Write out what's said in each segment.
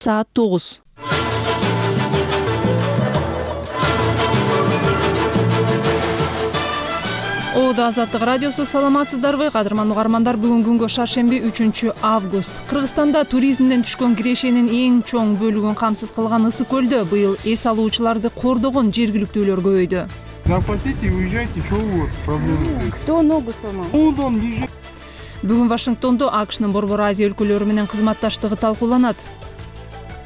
Саат 9. Оодо Азаттык радиосу, саламатсыздарбы? Кадырман угармандар, бүгүн күнгө шаршемби 3 август. Кыргызстанда туризмден түшкөн кирешенин эң чоң бөлүгүн камсыз кылган Ысык көлдө быйыл эс алуучуларды кордогон жергиликтүүлөр көбөйдү. Заплатите и уезжайте, что вот проблема? Кто ногу сломал? Бүгүн Вашингтондо АКШнын Борбор Азия өлкөлөрү менен кызматташтыгы талкууланат.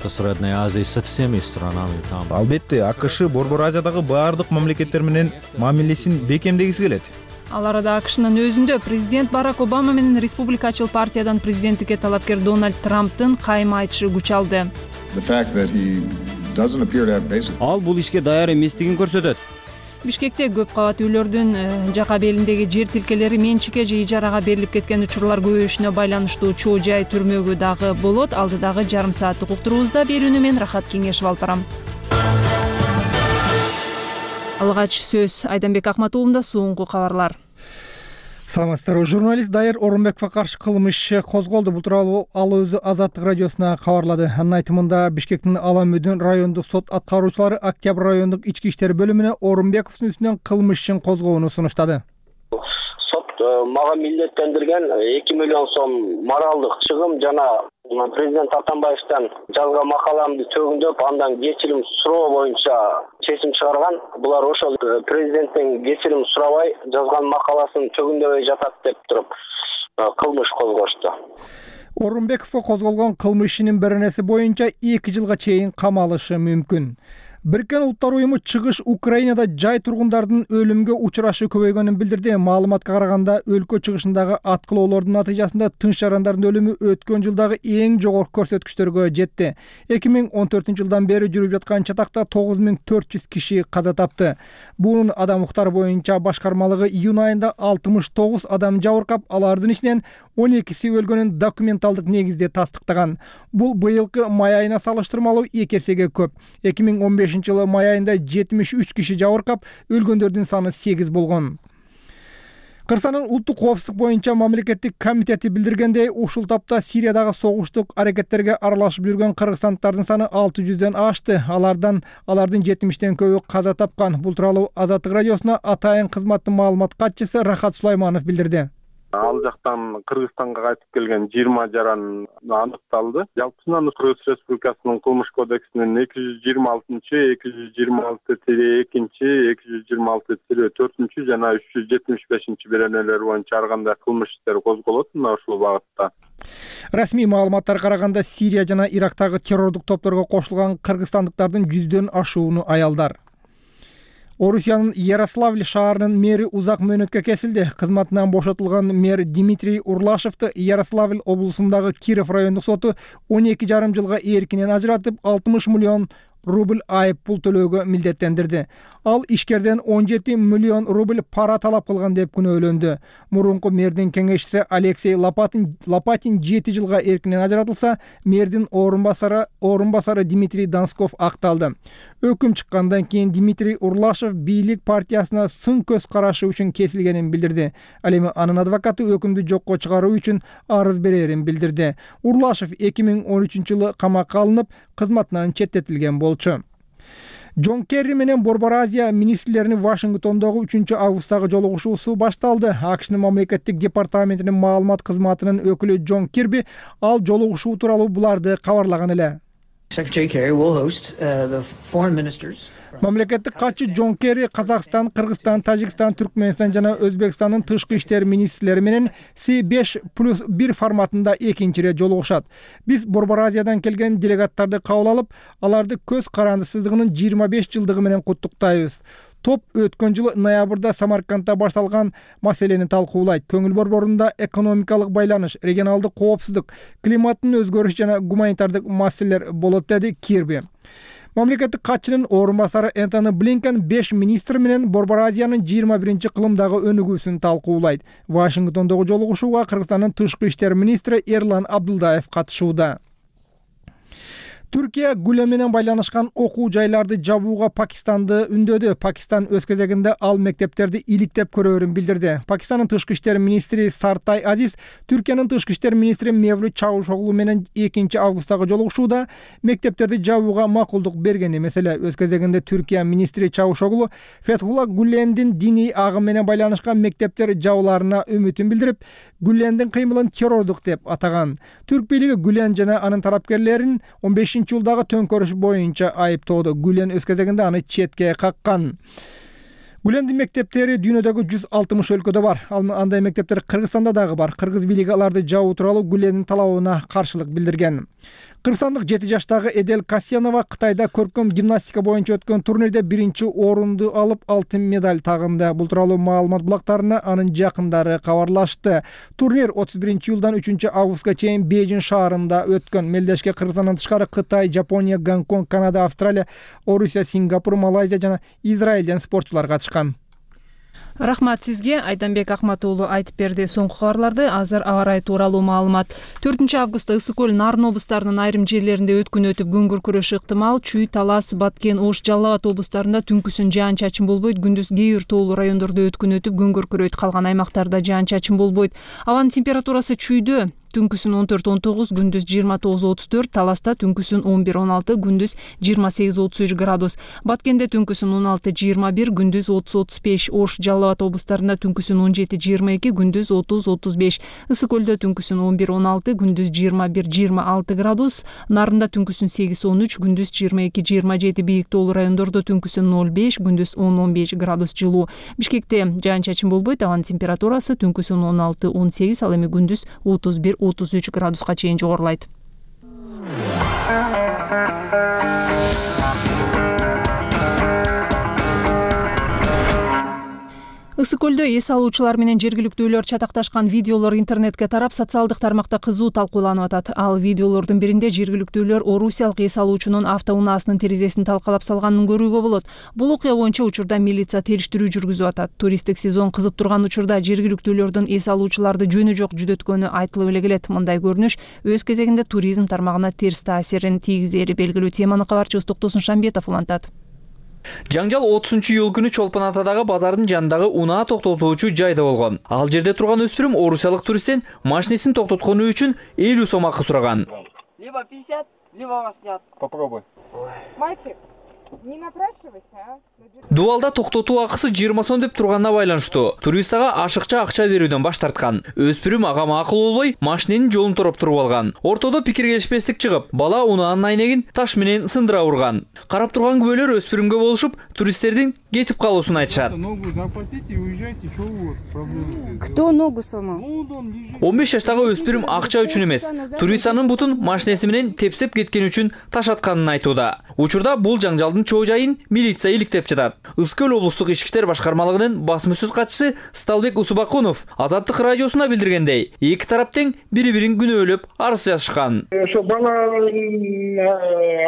Средняя Азия со всеми странами там. Албетте, АКШ Борбор Азиядагы баардык мамлекеттер менен мамилесин бекемдегиси келет. Ал арада АКШнын өзүндө президент Барак Обама менен республикачыл партиядан президенттикке талапкер Дональд Трамптын кайма айтышы күч алды. Ал бул ишке даяр эместигин көрсөтөт. Бишкекте көп кабат үйлөрдүн жака белиндеги жер тилкелери менчикке же ижарага берилип кеткен учурлар көбөйүшүнө байланыштуу чоо жай түрмөгү дагы болот. Алдыдагы жарым сааттык уктуруубузда берүүнү мен Рахат Кеңешев алып барам. Алгач сөз Айданбек Акматуулунда. Соңку кабарлар. Саламатсыздарбы. Журналист Дайыр Орунбековго каршы кылмыш иши козголду. Бул тууралуу ал өзү Азаттык радиосуна кабарлады. Анын айтымында Бишкектин Аламүдүн райондук сот аткаруучулары Октябрь райондук ички иштер бөлүмүнө Орунбековдун үстүнөн кылмыш ишин козгоону сунуштады. Сот мага милдеттендирген 2 миллион сом моралдык чыгым жана президент Атамбаевден жазган макаламды төгүндөп, андан кечирим суроо боюнча чечим чыгарган. Булар ошол президенттен кечирим сурабай жазган макаласын төгүндөбөй жатат деп туруп кылмыш козгошту. Орунбековго козголгон кылмыш ишинин беренеси боюнча 2 жылга чейин камалышы мүмкүн. Бириккен Улуттар уюму чыгыш Украинада жай тургундардын өлүмгө учурашы көбөйгөнүн билдирди. Маалыматка караганда, өлкө чыгышындагы аткылоолордун натыйжасында тынч жарандардын өлүмү өткөн жылдагы эң жогорку көрсөткүчтөргө жетти. 2014-жылдан бери жүрүп жаткан чатакта 9400 киши каза тапты. Бунун адам укуктары боюнча башкармалыгы июнь айында 69 адам жабыркап, алардын ичинен 12си өлгөнүн документалдык негизде тастыктаган. Бул быйылкы май айына салыштырмалуу 2 эсеге көп. 2015-жылы май айында 73 киши жабыркап, өлгөндөрдүн саны 8 болгон. Кыргызстандын улуттук коопсуздук боюнча мамлекеттик комитети билдиргендей, ушул тапта Сириядагы согуштук аракеттерге аралашып жүргөн кыргызстандыктардын саны 600дөн ашты. Алардын 70ден көбү каза тапкан. Бул тууралуу Азаттык радиосуна Атайын кызматтын маалымат катчысы Рахат Сулайманов билдирди. Ал жактан Кыргызстанга кайтып келген 20 жаран аныкталды. Жалпысынан Кыргыз Республикасынын кылмыш кодексинин 226-226-2, 226-4 жана 375 беренелер боюнча ар кандай кылмыш иштери козголот мына ушул багытта. Расмий маалыматтарга караганда, Сирия жана Ирактагы террордук топторго кошулган кыргызстандыктардын 100дөн ашууну аялдар. Орусиянын Ярославль шаарынын мэри узак мөөнөткө кесилди. Кызматынан бошотулган мэр Дмитрий Урлашевди Ярославль облусундагы Киров райондук соту 12,5 жылга эркинен ажыратып, 60 миллион рубль айып пул төлөөгө милдеттендирди. Ал ишкерден 17 миллион рубль пара талап кылган деп күнөөлөндү. Мурунку мэрдин кеңешчиси Алексей Лопатин 7 жылга эркинен ажыратылса, мэрдин орун басары Дмитрий Донсков акталды. Өкүм чыккандан кийин Дмитрий Урлашев бийлик партиясына сын көз карашы үчүн кесилгенин билдирди. Ал эми анын адвокаты өкүмдү жокко чыгаруу үчүн арыз берерин билдирди. Урлашев 2013-жылы камакка алынып, кызматынан четтетилген болчу. Джон Керри менен Борбор Азия министрлеринин Вашингтондогу 3-августтагы жолугушуусу башталды. АКШнын мамлекеттик департаментинин маалымат кызматынын өкүлү Джон Кирби ал жолугушуу тууралуу буларды кабарлаган эле. Мамлекеттик катчы Джон Керри Казакстан, Кыргызстан, Тажикстан, Түркмөнстан жана Өзбекстандын тышкы иштер министрлери менен C5+1 форматында экинчи ирет жолугушат. Биз Борбор Азиядан келген делегаттарды кабыл алып, аларды көз карандысыздыгынын 25 жылдыгы менен куттуктайбыз. Топ өткөн жылы ноябрда Самаркандда башталган маселени талкуулайт. Көңүл борборунда экономикалык байланыш, регионалдык коопсуздук, климаттын өзгөрүшү жана гуманитардык маселелер болот, деди Кирби. Мамлекеттик катчынын орун басары Энтони Блинкен 5 министр менен Борбор Азиянын 21-кылымдагы өнүгүүсүн талкуулайт. Вашингтондогу жолугушууга Кыргызстандын тышкы иштер министри Эрлан Абдулдаев катышууда. Түркия Гүлен менен байланышкан окуу жайларды жабууга Пакистанды үндөдү. Пакистан өз кезегинде ал мектептерди иликтеп көрөөрүн билдирди. Пакистандын тышкы иштер министри Сартай Азиз Түркиянын тышкы иштер министри Мевлют Чавушоглу менен 2 августтагы жолугушууда мектептерди жабууга макулдук берген эмес эле. Өз кезегинде Түркия министри Чавушоглу Фетхулла Гүлендин диний агым менен байланышкан мектептер жабылаарына үмүтүн билдирип, Гүлендин кыймылын террордук деп атаган. Түрк бийлиги Гүлен жана анын тарапкерлерин 15-жылдагы төңкөрүш боюнча айыптоодо. Гүлен өз кезегинде аны четке каккан. Гүлендин мектептери дүйнөдөгү 160 өлкөдө бар. Андай мектептер Кыргызстанда дагы бар. Кыргыз бийлиги аларды жабуу тууралуу Гүлендин талабына каршылык билдирген. Кыргызстандык 7 жаштагы Эдел Касьянова Кытайда көркөм гимнастика боюнча өткөн турнирде 1-орунду алып алтын медаль тагынды. Бул тууралуу маалымат булактарына анын жакындары кабарлашты. Турнир 31-июлдан 3-августка чейин Бейжин шаарында өткөн. Мелдешке Кыргызстандан тышкары Кытай, Жапония, Гонконг, Канада, Австралия, Орусия, Сингапур, Малайзия жана Израилден спортчулар катышкан. Рахмат сизге. Айданбек Акматуулу айтып берди соңку кабарларды. Азыр аба ырайы тууралуу маалымат. 4-августта Ысык көл, Нарын облустарынын айрым жерлеринде өткүн өтүп, күнгүр күрөшү ыктымал. Чүй, Талас, Баткен, Ош, Жалал Абад облустарында түнкүсүн жаан-чачын болбойт. Күндүз кээ бир тоолуу райондордо өткүн өтүп, күнгүр күрөйт. Калган аймактарда жаан-чачын болбойт. Абанын температурасы Чүйдө түнкүсүн 14-19, күндүз 29-34, Таласта түнкүсүн 11-16, күндүз 28-33 градус. Баткенде түнкүсүн 16-21, күндүз 30-35, Ош, Жалал Абад облустарында түнкүсүн 17-22, күндүз 30-35, Ысык көлдө түнкүсүн 11-16, күндүз 21-26 градус, Нарында түнкүсүн 8-13, күндүз 22-27, бийик тоолуу райондордо түнкүсүн 0-5, күндүз 10-15 градус жылуу. Бишкекте жаан-чачын болбойт, абанын температурасы түнкүсүн 16-18, ал эми күндүз 31-33 градуска чейин жогорулайт. Ысык көлдө эс алуучулар менен жергиликтүүлөр чатакташкан видеолор интернетке тарап, социалдык тармакта кызуу талкууланып атат. Ал видеолордун биринде жергиликтүүлөр орусиялык эс алуучунун автоунаасынын терезесин талкалап салганын көрүүгө болот. Бул окуя боюнча учурда милиция териштирүү жүргүзүп атат. Туристтик сезон кызып турган учурда жергиликтүүлөрдүн эс алуучуларды жөнү жок жүдөткөнү айтылып эле келет. Мындай көрүнүш өз кезегинде туризм тармагына терс таасирин тийгизери белгилүү. Теманы кабарчыбыз Токтосун Шамбетов улантат. Жаңжал 30-июл күнү Чолпон Атадагы базардын жанындагы унаа токтотуучу жайда болгон. Ал жерде турган өспүрүм орусиялык туристтен машинесин токтоткону үчүн 50 сом акы сураган. Либо 50, либо вас снят. Попробуй. Мальчик, не напрашивайся, а? Дуалда токтотуу акысы 20 сом деп турганына байланыштуу. Турист ага ашыкча акча берүүдөн баш тарткан. Өспүрүм ага макул болбой, машиненин жолун тороп туруп алган. Ортодо пикир келишпестик чыгып, бала унаанын айнегин таш менен сындыра урган. Карап турган күбөлөр өспүрүмгө болушуп, туристтердин кетип калуусун айтышат. Ногу заплатите и уезжайте, что вы проблема? Кто ногу сломал? 15 жаштагы өспүрүм акча үчүн эмес, турист анын бутун машинеси менен тепсеп кеткен үчүн таш атканын айтууда. Учурда бул жаңжалдын чоо жайын милиция иликтеп жатат. Ысык көл облустук ички иштер башкармалыгынын басмасөз катчысы Сталбек Усубакунов Азаттык радиосуна билдиргендей, эки тарап тең бири-бирин күнөөлөп арыз жазышкан. Ошо баланын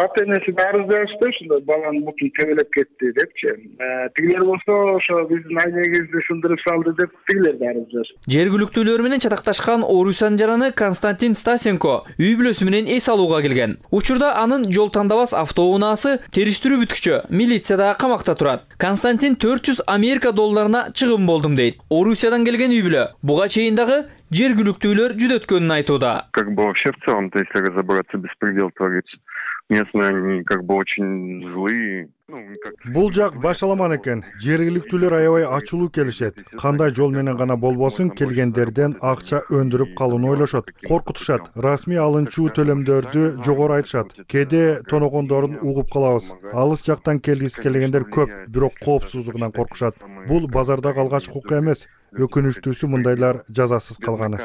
ата-энеси арыз жазышты, ошондой баланын бутун тебелеп кетти депчи. Тигилер болсо ошо биздин айнегибизди сындырып салды деп тигилер да арыз жазышты. Жергиликтүүлөр менен чатакташкан Орусиянын жараны Константин Стасенко үй бүлөсү менен эс алууга келген. Учурда анын жол тандабас автоунаасы териштирүү бүткүчө милицияда камакта турат. Константин 400 Америка долларына чыгым болдум дейт. Орусиядан келген үй бүлө буга чейин дагы жергиликтүүлөр жүдөткөнүн айтууда. Как бы вообще в целом-то, если разобраться, беспредел творится. Местные они как бы очень злые. Бул жак башаламан экен. Жергиликтүүлөр аябай ачуулуу келишет. Кандай жол менен гана болбосун келгендерден акча өндүрүп калууну ойлошот. Коркутушат. Расмий алынчуу төлөмдөрдү жогору айтышат. Кээде тоногондорун угуп калабыз. Алыс жактан келгиси келгендер көп, бирок коопсуздугунан коркушат. Бул базардагы алгачкы окуя эмес. Өкүнүчтүүсү мындайлар жазасыз калганы.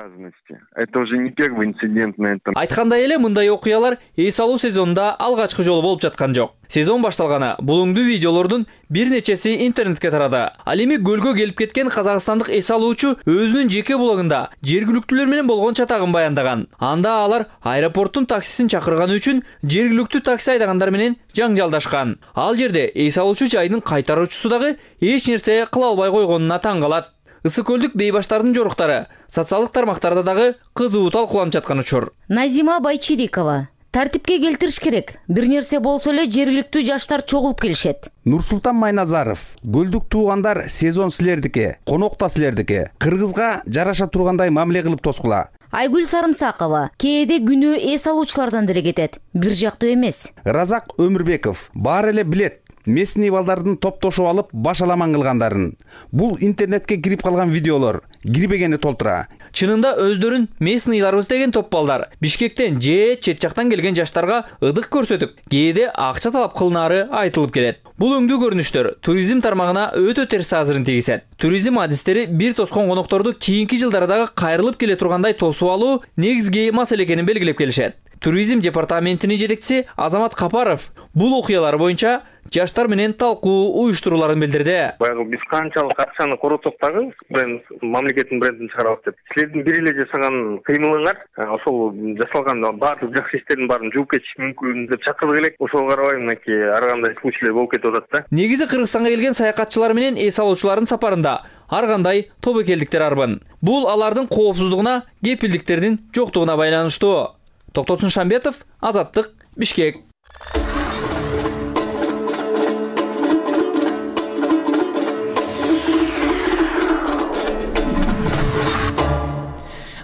Это уже не первый инцидент на этом. Айткандай эле мындай окуялар эс алуу сезонунда алгачкы жолу болуп жаткан жок. Сезон башталганы булуңдуу видеолордун бир нечеси интернетке тарады. Ал эми көлгө келип кеткен казакстандык эс алуучу өзүнүн жеке блогунда жергиликтүүлөр менен болгон чатагын баяндаган. Анда алар аэропорттун таксисин чакырганы үчүн жергиликтүү такси айдагандар менен жаңжалдашкан. Ал жерде эс алуучу жайдын кайтаруучусу дагы эч нерсе кыла албай койгонуна таң калат. Ысык көлдүк бейбаштардын жоруктары социалдык тармактарда дагы кызуу талкууланып жаткан учур. Назима Байчирикова тартипке келтириш керек. Бир нерсе болсо эле жергиликтүү жаштар чогулуп келишет. Нурсултан Майназаров, көлдүк туугандар сезон силердики, конок да силердики. Кыргызга жараша тургандай мамиле кылып тоскула. Айгүл Сарымсакова, кээде күнөө эс алуучулардан деле кетет, бир жактуу эмес. Разак Өмүрбеков, баары эле билет. Местный балдардын топтошуп алып башаламан кылгандарын. Бул интернетке кирип калган видеолор, кирбегени толтура. Чынында өздөрүн местныйларбыз деген топ балдар Бишкектен же чет жактан келген жаштарга ыдык көрсөтүп, кээде акча талап кылынары айтылып келет. Бул өңдүү көрүнүштөр туризм тармагына өтө терс таасирин тийгизет. Туризм адистери бир тоскон конокторду кийинки жылдардагы кайрылып келе тургандай тосуп алуу негизги маселе экенин белгилеп келишет. Туризм департаментинин жетекчиси Азамат Капаров бул окуялар боюнча жаштар менен талкуу уюштурууларын билдирди. Баягы биз канчалык акчаны коротсок дагы бренд мамлекеттин брендин чыгарабыз деп. Силердин бир эле жасаган кыймылыңар ошол жасалган баардык жакшы иштердин баарын жууп кетиш мүмкүн деп чакырдык элек. Ошого карабай мынакей ар кандай случайлар болуп кетип атат да. Негизи Кыргызстанга келген саякатчылар менен эс алуучулардын сапарында ар кандай тобокелдиктер арбын. Бул алардын коопсуздугуна, кепилдиктердин жоктугуна байланыштуу. Токтотун Шамбетов, Азаттык, Бишкек.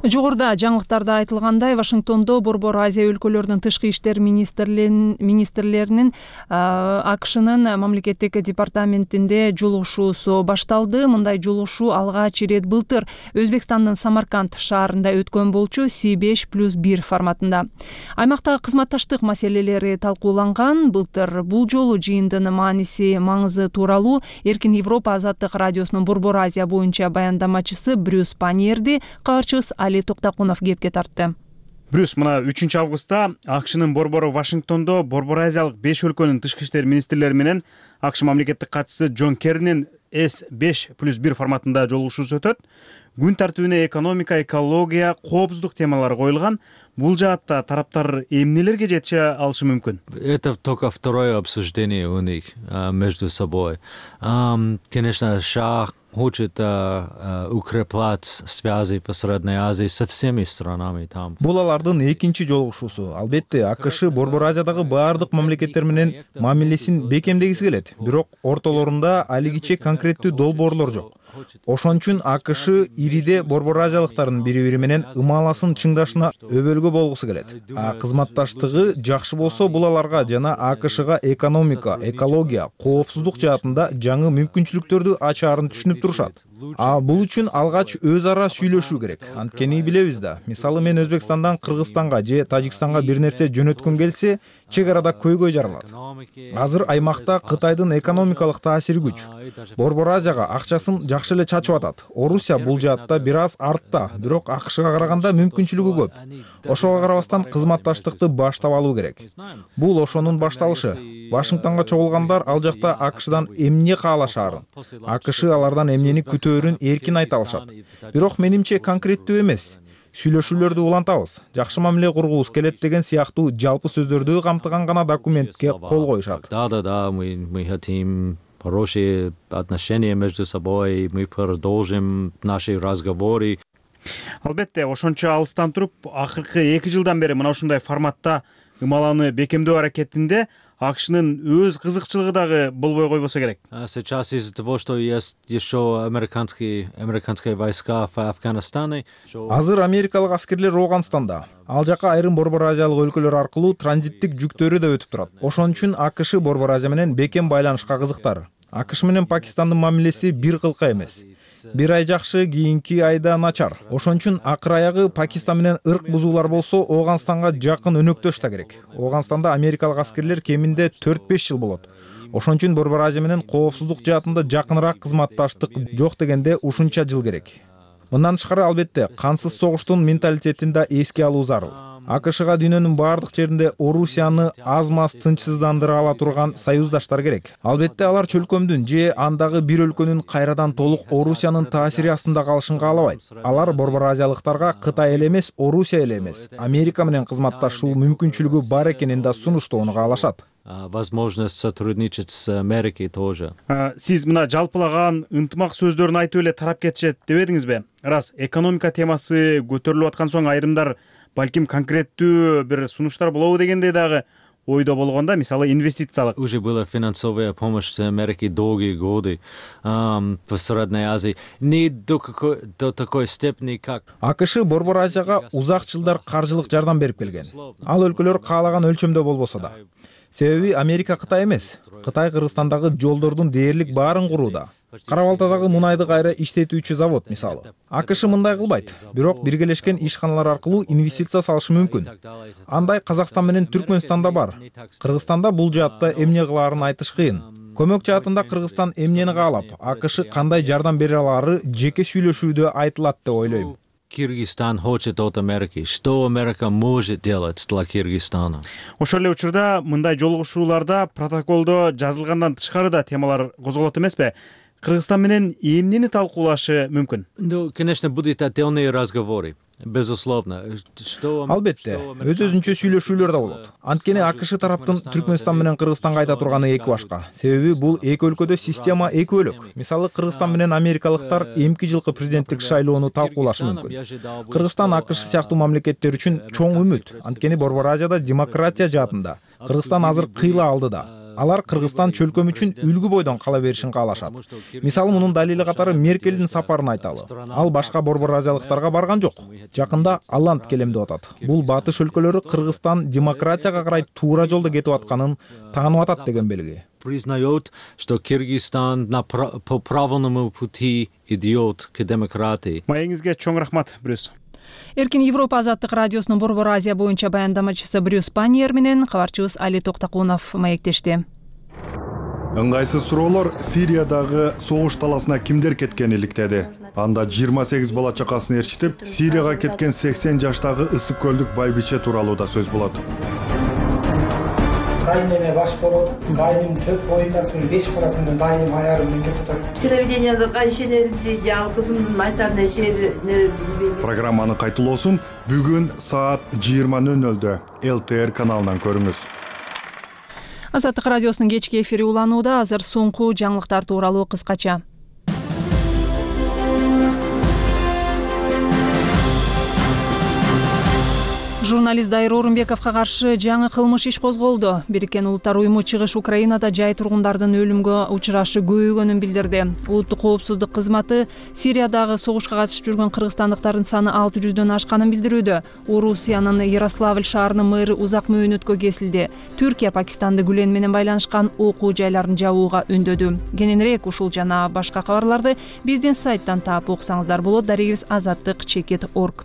Жогоруда жаңылыктарда айтылгандай, Вашингтондо Борбор Азия өлкөлөрүнүн тышкы иштер министрлеринин АКШнын мамлекеттик департаментинде жолугушуусу башталды. Мындай жолугушуу алгач ирет былтыр Өзбекстандын Самарканд шаарында өткөн болчу C5+1 форматында. Аймактагы кызматташтык маселелери талкууланган. Былтыр бул жолу жыйындын маңызы тууралуу Эркин Европа азаттык радиосунун Борбор Азия боюнча баяндамачысы Брюс Паньерди кабарчыбыз Али Токтакунов кепке тартты. Брюс, мына 3-августта АКШнын борбору Вашингтондо Борбор Азиялык 5 өлкөнүн тышкы иштер министрлери менен АКШ мамлекеттик катчысы Джон Керринин S5+1 форматында жолугушуусу өтөт. Күн тартибине экономика, экология, коопсуздук темалары коюлган. Бул жаатта тараптар эмнелерге жетише алышы мүмкүн? Это только второе обсуждение у них между собой. Конечно, США хочет укреплять связи в Средней Азии со всеми странами там. Бул алардын экинчи жолугушуусу. Албетте, АКШ Борбор Азиядагы баардык мамлекеттер менен мамилесин бекемдегиси келет. Бирок ортолорунда алигиче конкреттүү долбоорлор жок. Ошон үчүн АКШ ириде Борбор Азиялыктардын бири-бири менен ымаласын чыңдашына өбөлгө болгусу келет. Кызматташтыгы жакшы болсо, бул аларга жана АКШга экономика, экология, коопсуздук жаатында жаңы мүмкүнчүлүктөрдү ачаарын түшүнүп турушат. Бул үчүн алгач өз ара сүйлөшүү керек. Анткени билебиз да, мисалы мен Өзбекстандан Кыргызстанга же Тажикстанга бир нерсе жөнөткөн келсе, чек арада көйгөй жаралат. Азыр аймакта Кытайдын экономикалык таасири күч. Борбор Азияга акчасын жакшы эле чачып атат. Орусия бул жаатта бир аз артта, бирок АКШга караганда мүмкүнчүлүгү көп. Ошого карабастан кызматташтыкты баштап алуу керек. Бул ошонун башталышы. Вашингтонго чогулгандар ал жакта АКШдан эмне каалашаарын, АКШ алардан эмнени күтөөрүн эркин айта алышат. Бирок менимче конкреттүү эмес. Сүйлөшүүлөрдү улантабыз, жакшы мамиле кургубуз келет деген сыяктуу жалпы сөздөрдү камтыган гана документке кол коюшат. Да, мы хотим хорошие отношения между собой, мы продолжим наши разговоры. Албетте, ошончо алыстан туруп, акыркы 2 жылдан бери мына ушундай форматта ымаланы бекемдөө аракетинде АКШнын өз кызыкчылыгы дагы болбой койбосо керек. Сейчас из-за того, что есть еще американские войска в Афганистане. Азыр америкалык аскерлер Ооганстанда. Ал жака айрым Борбор Азиялык өлкөлөр аркылуу транзиттик жүктөрү да өтүп турат. Ошон үчүн АКШ Борбор Азия менен бекем байланышка кызыктар. АКШ менен Пакистандын мамилеси бир кылка эмес. Бир ай жакшы, кийинки айда начар. Ошон үчүн акыр аягы Пакистан менен ырк бузуулар болсо, Ооганстанга жакын өнөктөш да керек. Ооганстанда америкалык аскерлер кеминде 4-5 жыл болот. Ошон үчүн Борбор Азия менен коопсуздук жаатында жакыныраак кызматташтык жок дегенде ушунча жыл керек. Мындан тышкары, албетте, кансыз согуштун менталитетин да эске алуу зарыл. АКШга дүйнөнүн баардык жеринде Орусияны аз-маз тынчсыздандыра ала турган союздаштар керек. Албетте, алар чөлкөмдүн же андагы бир өлкөнүн кайрадан толук Орусиянын таасири астында калышын каалабайт. Алар Борбор Азиялыктарга Кытай эле эмес, Орусия эле эмес, Америка менен кызматташуу мүмкүнчүлүгү бар экенин да сунуштоону каалашат. Возможность сотрудничать с Америкой тоже. Сиз мына жалпылаган ынтымак сөздөрүн айтып эле тарап кетишет дебедиңизби? Рас, экономика темасы көтөрүлүп аткан соң айрымдар балким конкреттүү бир сунуштар болобу дегендей дагы ойдо болгондо, мисалы инвестициялык. Уже была финансовая помощь с Америки долгие годы в Средней Азии. Не до такой степени, как... АКШ Борбор Азияга узак жылдар каржылык жардам берип келген. Ал өлкөлөр каалаган өлчөмдө болбосо да. Себеби Америка Кытай эмес. Кытай Кыргызстандагы жолдордун дээрлик баарын курууда. Кара Балтадагы мунайды кайра иштетүүчү завод мисалы. АКШ мындай кылбайт, бирок биргелешкен ишканалар аркылуу инвестиция салышы мүмкүн. Андай Казакстан менен Түркмөнстанда бар. Кыргызстанда бул жаатта эмне кылаарын айтыш кыйын. Көмөк жаатында Кыргызстан эмнени каалап, АКШ кандай жардам бере алары жеке сүйлөшүүдө айтылат деп ойлойм. Кыргызстан хочет от Америки. Что Америка может делать для Кыргызстана? Ошол эле учурда мындай жолугушууларда протоколдо жазылгандан тышкары да темалар козголот эмеспи? Кыргызстан менен эмнени талкуулашы мүмкүн? Ну, конечно, будут отдельные разговоры. Безусловно. Албетте, өз-өзүнчө сүйлөшүүлөр да болот. Анткени АКШ тараптын Түркмөнстан менен Кыргызстанга айта турганы эки башка. Себеби бул эки өлкөдө система эки бөлөк. Мисалы Кыргызстан менен америкалыктар эмки жылкы президенттик шайлоону талкуулашы мүмкүн. Кыргызстан АКШ сыяктуу мамлекеттер үчүн чоң үмүт. Анткени Борбор Азияда демократия жаатында Кыргызстан азыр кыйла алдыда. Алар Кыргызстан чөлкөм үчүн үлгү бойдон кала беришин каалашат. Мисалы мунун далили катары Меркелдин сапарын айталы. Ал башка Борбор Азиялыктарга барган жок. Жакында Алланд келем деп атат. Бул батыш өлкөлөрү Кыргызстан демократияга карай туура жолдо кетип атканын таанып атат деген белги. Признает, что Кыргызстан по правильному пути идет к демократии. Маегиңизге чоң рахмат, Брюс. Эркин Европа азаттык радиосунун Борбор Азия боюнча баяндамачысы Брюс Паньер менен кабарчыбыз Али Токтакунов маектешти. Ыңгайсыз суроолор Сириядагы согуш таласына кимдер кеткени иликтеди. Анда 28 бала чакасын ээрчитип, Сирияга кеткен 80 жаштагы ысык көлдүк байбиче тууралуу да сөз болот. Кайнеме баш болот, кайнын төп боюнда 5 баласынын дайым аярын кетип атат. Телевиденияда кайшенерди, жаңы кызымдын айтарын эшелер. Программанын кайтылоосун бүгүн саат 20:00-дө ЛТР каналынан көрүңүз. Азаттык радиосунун кечки эфири уланууда. Азыр соңку жаңылыктар тууралуу кыскача. Журналист Дайыр Орунбековго каршы жаңы кылмыш иш козголду. Бириккен Улуттар уюму чыгыш Украинада жай тургундардын өлүмгө учурашы көбөйгөнүн билдирди. Улуттук коопсуздук кызматы Сириядагы согушка катышып жүргөн кыргызстандыктардын саны 600дөн ашканын билдирүүдө. Орусиянын Ярославль шаарынын мэрі узак мөөнөткө кесилди. Түркия Пакистанды Гүлен менен байланышкан окуу жайларын жабууга үндөдү. Кененирээк ушул жана башка кабарларды биздин сайттан таап окусаңыздар болот. Дарегибиз azattik.org.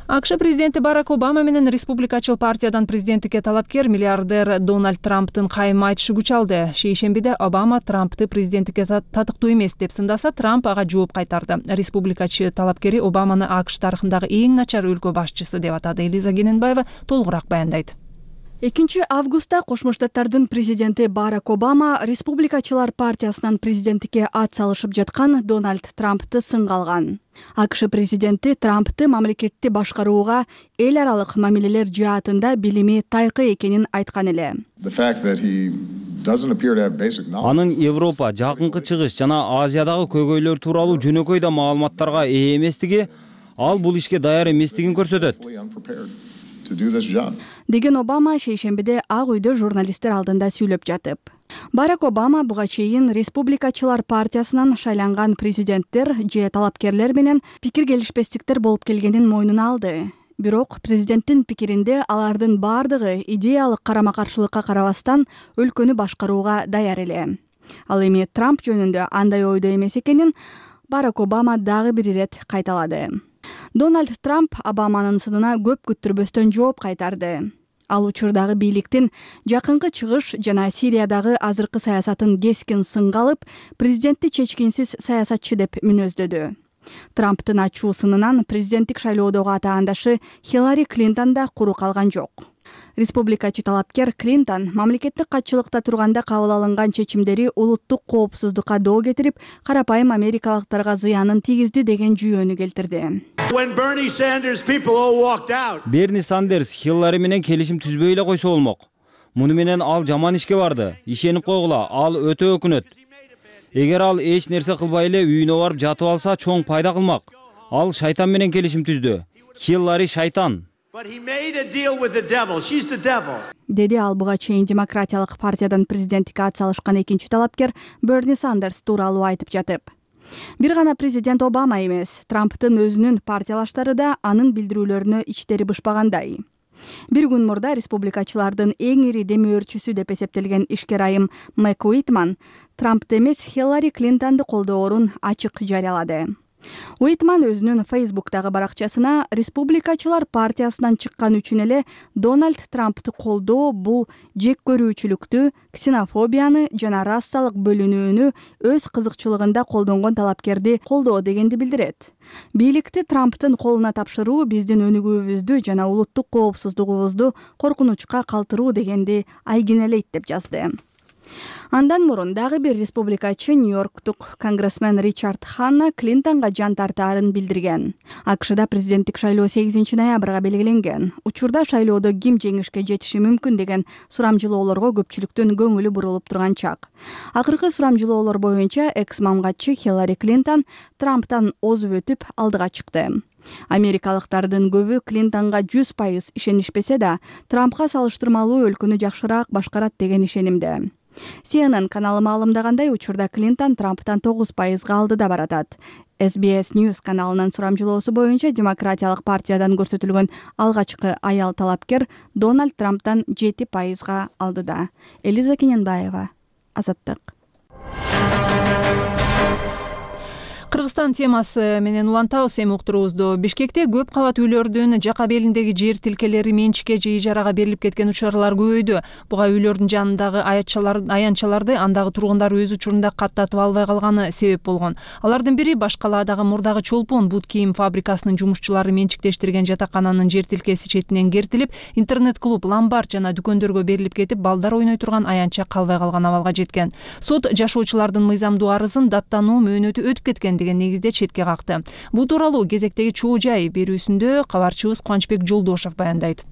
АКШ президенти Барак Обама менен республикачыл партиядан президенттикке талапкер миллиардер Дональд Трамптын кайым айтышы күч алды. Шейшембиде Обама Трампты президенттикке татыктуу эмес деп сындаса, Трамп ага жооп кайтарды. Республикачы талапкери Обаманы АКШ тарыхындагы эң начар өлкө башчысы деп атады. Элиза Гененбаева толугураак баяндайт. 2 августта Кошмо Штаттардын президенти Барак Обама республикачылар партиясынан президенттикке ат салышып жаткан Дональд Трампты сынга алган. АКШ президенти Трампты мамлекетти башкарууга эл аралык мамилелер жаатында билими тайкы экенин айткан эле. Анын Европа, Жакынкы Чыгыш жана Азиядагы көйгөйлөр тууралуу жөнөкөй да маалыматтарга ээ эместиги, ал бул ишке даяр эместигин көрсөтөт. Деген Обама шейшембиде Ак үйдө журналисттер алдында сүйлөп жатып. Барак Обама буга чейин республикачылар партиясынан шайланган президенттер же талапкерлер менен пикир келишпестиктер болуп келгенин мойнуна алды. Бирок президенттин пикиринде алардын бардыгы идеялык карама-каршылыкка карабастан өлкөнү башкарууга даяр эле. Ал эми Трамп жөнүндө андай ойдо эмес экенин Барак Обама дагы бир ирет кайталады. Дональд Трамп Обаманын сынына көп күттүрбөстөн жооп кайтарды. Ал учурдагы бийликтин Жакынкы Чыгыш жана Сириядагы азыркы саясатын кескин сынга алып, президентти чечкинсиз саясатчы деп мүнөздөдү. Трамптын ачуу сынынан президенттик шайлоодогу атаандашы Хиллари Клинтон да куру калган жок. Республикачы талапкер Клинтон мамлекеттик катчылыкта турганда кабыл алынган чечимдери улуттук коопсуздукка доо кетирип, карапайым америкалыктарга зыянын тийгизди деген жүйөнү келтирди. Берни Сандерс Хиллари менен келишим түзбөй эле койсо болмок. Муну менен ал жаман ишке барды. Ишенип койгула, ал өтө өкүнөт. Эгер ал эч нерсе кылбай эле үйүнө барып жатып алса, чоң пайда кылмак. Ал шайтан менен келишим түздү. Хиллари шайтан. деди ал буга чейин демократиялык партиядан президенттикке атсалышкан экинчи талапкер Берни Сандерс тууралуу айтып жатып. Бир гана президент Обама эмес, Трамптын өзүнүн партиялаштары да анын билдирүүлөрүнө ичтери бышпагандай. Бир күн мурда республикачылардын эң ири демөөрчүсү деп эсептелген ишкер айым Мэг Уитман Трампты эмес Хиллари Клинтонду колдоорун ачык жарыялады. Уитман өзүнүн Фейсбуктагы баракчасына республикачылар партиясынан чыккан үчүн эле Дональд Трамптты колдоо бул жек көрүүчүлүктү, ксенофобияны жана расалык бөлүнүүнү өз кызыкчылыгында колдонгон талапкерди колдоо дегенди билдирет. Бийликти Трамптын колуна тапшыруу биздин өнүгүүбүздү жана улуттук коопсуздугубузду коркунучка калтыруу дегенди айгинелейт деп жазды. Андан мурун дагы бир республикачы Нью-Йорктук конгрессмен Ричард Ханна Клинтонго жан тартаарын билдирген. АКШда президенттик шайлоо 8 ноябрга белгиленген. Учурда шайлоодо ким жеңишке жетиши мүмкүн деген сурамжылоолорго көпчүлүктүн көңүлү бурулуп турган чак. Акыркы сурамжылоолор боюнча экс-мамгатчы Хиллари Клинтон Трамптан озуп өтүп алдыга чыкты. Америкалыктардын көбү Клинтонго 100% ишенишпесе да, Трампка салыштырмалуу өлкөнү жакшыраак башкарат деген ишенимде. CNN каналы маалымдагандай, учурда Клинтон Трамптан 9% алдыда баратат. SBS News каналынын сурамжылоосу боюнча демократиялык партиядан көрсөтүлгөн алгачкы аял талапкер Дональд Трамптан 7% алдыда. Элиза Кененбаева, Азаттык. Кыргызстан темасы менен улантабыз эми уктуруубузду. Бишкекте көп кабат үйлөрдүн жака белиндеги жер тилкелери менчикке же ижарага берилип кеткен учурлар көбөйдү. Буга үйлөрдүн жанындагы аянтчаларды андагы тургундар өз учурунда каттатып албай калганы себеп болгон. Алардын бири Баш калаадагы мурдагы чолпон бут кийим фабрикасынын жумушчулары менчиктештирген жатакананын жер тилкеси четинен кертилип, интернет-клуб, ломбард жана дүкөндөргө берилип кетип, балдар ойной турган аянтча калбай калган абалга жеткен. Сот жашоочулардын мыйзамдуу арызын даттануу мөөнөтү өтүп кеткен деген негизде четке какты. Бул тууралуу кезектеги чоо жай берүүсүндө кабарчыбыз Кубанычбек Жолдошов баяндайт.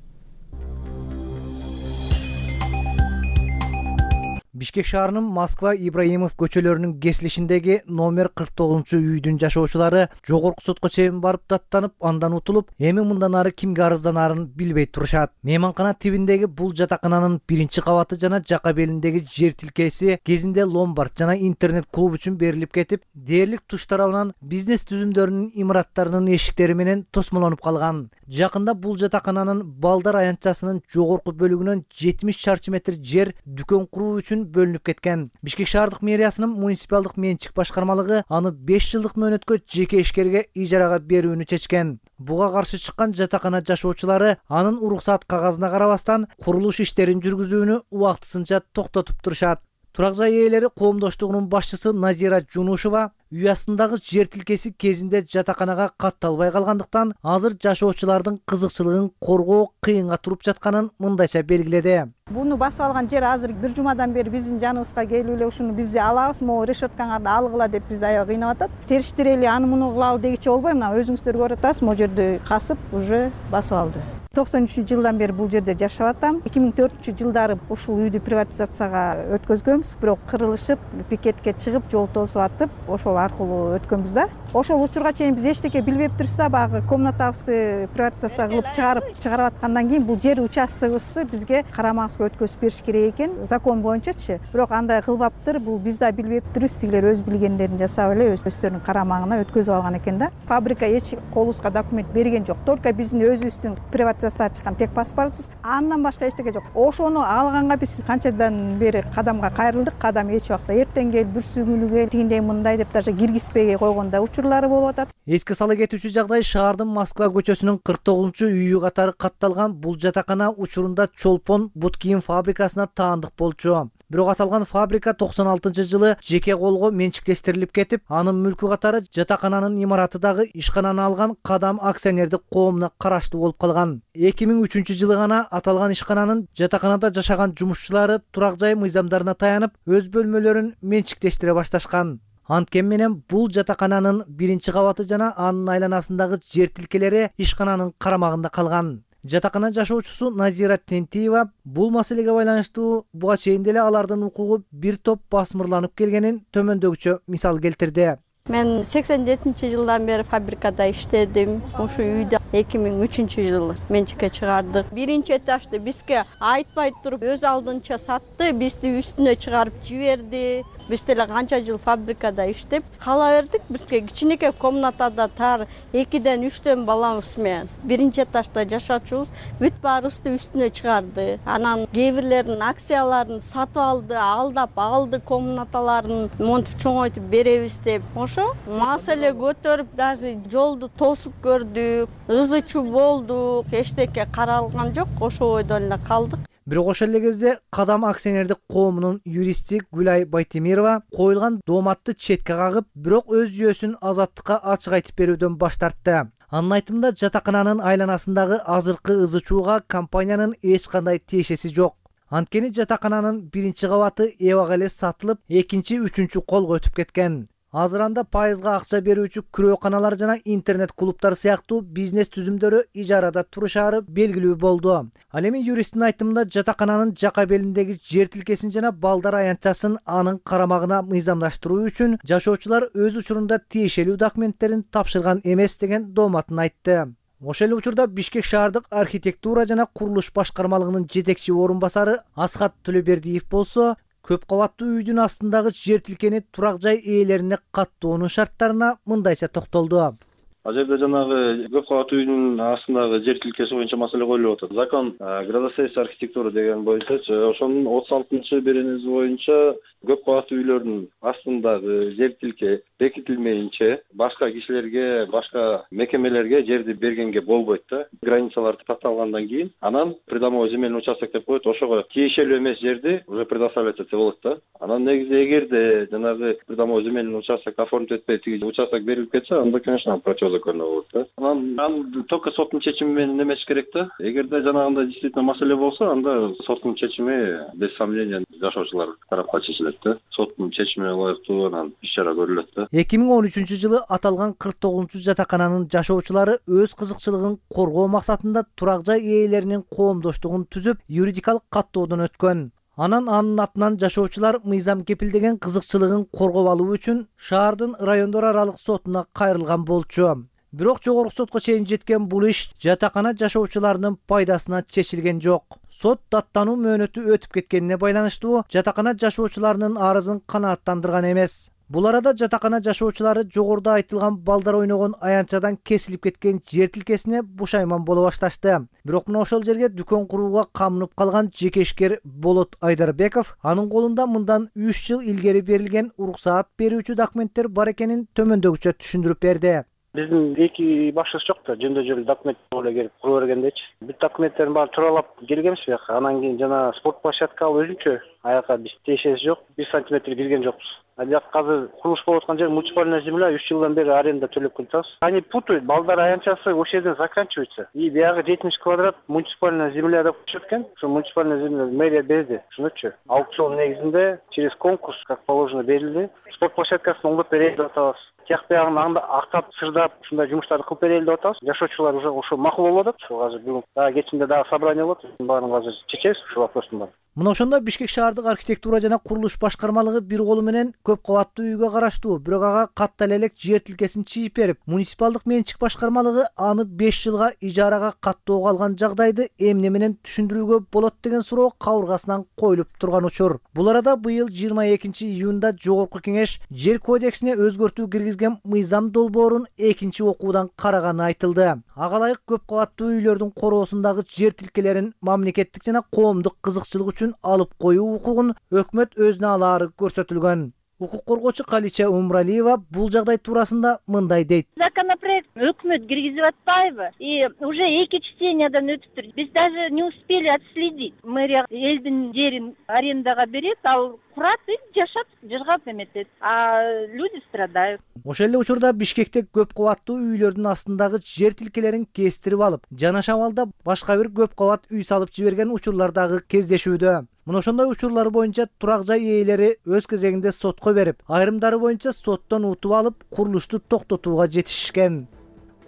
Бишкек шаарынын Москва Ибраимов көчөлөрүнүн кесилишиндеги номер 49-үйдүн жашоочулары жогорку сотко чейин барып даттанып, андан утулуп, эми мындан ары кимге арызданарын билбей турушат. Мейманкана тибиндеги бул жатакананын биринчи кабаты жана жака белиндеги жер тилкеси кезинде ломбард жана интернет-клуб үчүн берилип кетип, дээрлик туш тарабынан бизнес түзүмдөрүнүн имараттарынын эшиктери менен тосмолонуп калган. Жакында бул жатакананын балдар аянтчасынын жогорку бөлүгүнөн 70 чарчы метр жер дүкөн куруу үчүн бөлүнүп кеткен. Бишкек шаардык мэриясынын муниципалдык менчик башкармалыгы аны 5 жылдык мөөнөткө жеке ишкерге ижарага берүүнү чечкен. Буга каршы чыккан жатакана жашоочулары анын уруксат кагазына карабастан курулуш иштерин жүргүзүүнү убактысынча токтотуп турушат. Турак жай ээлери коомдоштугунун башчысы Назира Жунушева үй астындагы жер тилкеси кезинде жатаканага катталбай калгандыктан азыр жашоочулардын кызыкчылыгын коргоо кыйынга туруп жатканын мындайча белгиледи. Буну басып алган жер азыр бир жумадан бери биздин жаныбызга келип эле ушуну бизди алабыз, могу решеткаңарды алгыла деп бизди аябай кыйнап атат. Териштире эле аны муну кылалы дегиче болбой, мына өзүңүздөр көрүп атасыз, могу жерди касып уже басып алды. 93-жылдан бери бул жерде жашап атам. 2004-жылдары ушул үйдү приватизацияга өткөзгөнбүз, бирок кырылышып, пикетке чыгып, жол тосуп атып, ошол аркылуу өткөнбүз да. Ошол учурга чейин биз эчтеке билбептирбиз да, багы комнатабызды приватизация кылып чыгарып аткандан кийин бул жер участогубузду бизге карамагыбызга өткөзүп бериш керек экен, закон боюнчачы. Бирок андай кылбаптыр, бул биз да билбептирбиз, тигилер өз билгендерин жасап эле өздөрүнүн карамагына өткөзүп алган экен да. Фабрика эч колубузга документ берген жок, только биздин өзүбүздүн приватизация чыккан тек паспортубуз, андан башка эчтеке жок. Ошону алганга биз канчадан бери кадамга кайрылдык, кадам эч убакта эртең кел, бүрсүгүнү кел, тигиндей мындай деп даже киргизбей койгондо учурлары болуп атат. Эске сала кетүүчү жагдай шаардын Москва көчөсүнүн 49-үйү катары катталган бул жатакана учурунда чолпон бут кийим фабрикасына таандык болчу. Бирок аталган фабрика 96-жылы жеке колго менчиктештирилип кетип, анын мүлкү катары жатакананын имараты дагы ишкананы алган Кадам акционердик коомуна караштуу болуп калган. 2003-жылы гана аталган ишкананын жатаканада жашаган жумушчулары турак жай мыйзамдарына таянып, өз бөлмөлөрүн менчиктештире башташкан. Анткени менен бул жатакананын биринчи кабаты жана анын айланасындагы жер тилкелери ишкананын карамагында калган. Жатакана жашоочусу Назира Тентиева бул маселеге байланыштуу буга чейин деле алардын укугу бир топ басмырланып келгенин төмөндөгүчө мисал келтирди. Мен 87-жылдан бери фабрикада иштедим. Ушу үйдө 2003-жылы менчикке чыгардык. Биринчи этажды бизге айтпай туруп өз алдынча сатты, бизди үстүнө чыгарып жиберди. Биз деле канча жыл фабрикада иштеп кала бердик. Бизге кичинекей комнатада тар 2ден 3төн балабыз менен биринчи этажда жашачубуз бүт баарыбызды үстүнө чыгарды. Анан кээ бирлеринин акцияларын сатып алды, алдап алды, комнаталарын монтип чоңойтуп беребиз деп. Ошо маселе көтөрүп, даже жолду тосуп көрдүк, ызы-чуу болдук, эчтеке каралган жок, ошо ойдон эле калдык. Бирок ошол эле кезде Кадам акционердик коомунун юристи Гүлай Байтемирова коюлган дооматты четке кагып, бирок өз жүйөсүн азаттыкка ачык айтып берүүдөн баш тартты. Анын айтымында жатакананын айланасындагы азыркы ызы-чууга компаниянын эч кандай тиешеси жок. Анткени жатакананын биринчи кабаты эбага эле сатылып, экинчи, үчүнчү колго өтүп кеткен. Азыр анда пайызга акча берүүчү күрөөканалар жана интернет клубтар сыяктуу бизнес түзүмдөрү ижарада турушаары белгилүү болду. Ал эми юристтин айтымында жатакананын жака белиндеги жер тилкесин жана балдар аянтчасын анын карамагына мыйзамдаштыруу үчүн жашоочулар өз учурунда тиешелүү документтерин тапшырган эмес деген дооматын айтты. Ошол эле учурда Бишкек шаардык архитектура жана курулуш башкармалыгынын жетекчи орун басары Асхат Төлөбердиев болсо, көп кабаттуу үйдүн астындагы жер тилкени турак жай ээлерине каттоонун шарттарына мындайча токтолду. Ал жерде жанагы көп кабаттуу үйдүн астындагы жер тилкеси боюнча маселе коюлуп атат. Закон градостроительство архитектура деген боюнча ошонун 36-беренеси боюнча көп кабаттуу үйлөрдүн астындагы жер тилке бекитилмейинче башка кишилерге, башка мекемелерге жерди бергенге болбойт да. Границалар такталгандан кийин анан придомовой земельный участок деп коет, ошого тиешелүү эмес жерди уже предоставлять этсе болот да. Анан негизи эгерде жанагы придомовой земельный участок оформить этпей тиги участок берилип кетсе, анда конечно противозаконно болот да. Анан только соттун чечими менен эмес керек да. Эгерде жанагындай действительно маселе болсо, анда соттун чечими без сомнения жашоочулар тарапка чечилет да. Соттун чечимине ылайыктуу анан иш-чара көрүлөт да. 2013-жылы аталган 49 жатакананын жашоочулары өз кызыкчылыгын коргоо максатында турак жай ээлеринин коомдоштугун түзүп, юридикалык каттоодон өткөн. Анан анын атынан жашоочулар мыйзам кепилдеген кызыкчылыгын коргоп алуу үчүн шаардын райондор аралык сотуна кайрылган болчу. Бирок жогорку сотко чейин жеткен бул иш жатакана жашоочуларынын пайдасына чечилген жок. Сот даттануу мөөнөтү өтүп кеткенине байланыштуу жатакана жашоочуларынын арызын канааттандырган эмес. Бул арада жатакана жашоочулары жогоруда айтылган балдар ойногон аянтчадан кесилип кеткен жер тилкесине бушайман боло башташты. Бирок мына ошол жерге дүкөн курууга камынып калган жекешкер Болот Айдарбеков анын колунда мындан 3 жыл илгери берилген уруксаат берүүчү документтер бар экенин төмөндөгүчө түшүндүрүп берди. Биздин эки башчыбыз жок да, жөндөжөл документ эле келип кура бергендечи. Бүт документтердин баарын туралап келгенбиз бияка. Анан кийин жана спорт площадка өзүнчө аяка биз тиешеси жок, 1 сантиметр кирген жокпуз. Ал жак азыр курулуш болуп аткан жер муниципальная земля, 3 жылдан бери аренда төлөп келатабыз. Они путают, балдар аянтчасы ошол жерден заканчивается. И биягы 70 квадрат муниципальная земля деп коюшат экен. Ошо муниципальная земля мэрия берди, түшүнөтчү. Аукцион негизинде через конкурс как положено берилди. Спорт площадкасын оңдоп берели деп атабыз. Тияк биягын актап, сырдап, ушундай жумуштарды кылып берели деп атабыз. Жашоочулар уже ошо макул болуп атат. Ошо азыр бүгүн дагы кечинде дагы собрание болот. Баарын азыр чечебиз ушул вопростун баарын. Мына ошондо Бишкек шаардык архитектура жана курулуш башкармалыгы бир колу менен көп кабаттуу үйгө караштуу, бирок ага каттала элек жер тилкесин чийип берип, муниципалдык менчик башкармалыгы аны 5 жылга ижарага каттоого алган жагдайды эмне менен түшүндүрүүгө болот деген суроо кабыргасынан коюлуп турган учур. Бул арада быйыл 22-июнда Жогорку кеңеш жер кодексине өзгөртүү киргизген мыйзам долбоорун экинчи окуудан караганы айтылды. Ага ылайык көп кабаттуу үйлөрдүн короосундагы жер тилкелерин мамлекеттик жана коомдук кызыкчылык үчүн алып коюу укугун өкмөт өзүнө алаары көрсөтүлгөн. Укук коргоочу Калича Умралиева бул жагдай туурасында мындай дейт. Законопроект өкмөт киргизип атпайбы? И уже 2 чтениядан өтүптүр. Биз даже не успели отследить. Мэрия элдин жерин арендага берет, ал курат и жашап, жыргап эметет. А люди страдают. Ошол эле учурда Бишкекте көп кабаттуу үйлөрдүн астындагы жер тилкелерин кестирип алып, жана шамалда башка бир көп кабат үй салып жиберген учурлар дагы кездешүүдө. Мына ошондой учурлар боюнча турак жай ээлери өз кезегинде сотко берип, айрымдары боюнча соттон утуп алып, курулушту токтотууга жетишишкен.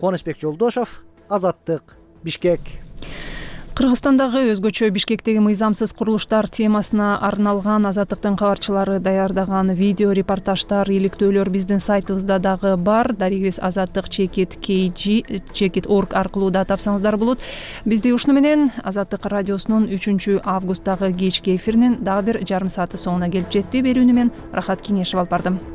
Кубанычбек Жолдошов, Азаттык, Бишкек. Кыргызстандагы өзгөчө Бишкектеги мыйзамсыз курулуштар темасына арналган Азаттыктын кабарчылары даярдаган видео репортаждар, иликтөөлөр биздин сайтыбызда дагы бар. Дарегибиз azattik.kg.org аркылуу да тапсаңыздар болот. Бизди ушуну менен Азаттык радиосунун 3 августтагы кечки эфиринин дагы бир жарым сааты соңуна келип жетти. Берүүнү мен Рахат Кеңешев алып бардым.